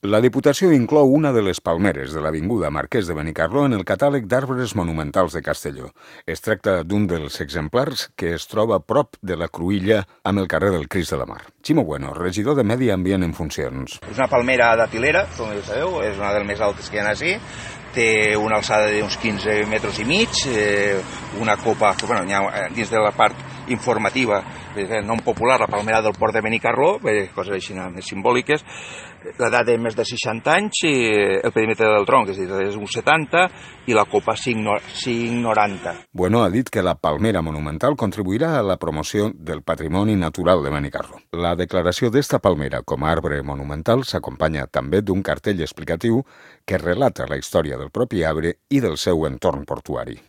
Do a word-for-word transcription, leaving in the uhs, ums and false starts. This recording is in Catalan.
La Diputació inclou una de les palmeres de l'avinguda Marquès de Benicarló en el catàleg d'arbres monumentals de Castelló. Es tracta d'un dels exemplars que es troba a prop de la cruïlla amb el carrer del Crist de la Mar. Ximo Bueno, regidor de Medi Ambient en funcions. És una palmera datilera, com ja sabeu, és una de les més altes que hi ha així. Té una alçada d'uns quinze metres i mig, eh, una copa, que, bueno, ha, dins de la part informativa, eh, nom popular, la palmera del port de Benicarló, eh, coses així més simbòliques, l'edat de més de seixanta anys, i el perímetre del tronc és, és un setanta i la copa cinc noranta. Bueno ha dit que la palmera monumental contribuirà a la promoció del patrimoni natural de Benicarló. La declaració d'esta palmera com a arbre monumental s'acompanya també d'un cartell explicatiu que relata la història del propi arbre i del seu entorn portuari.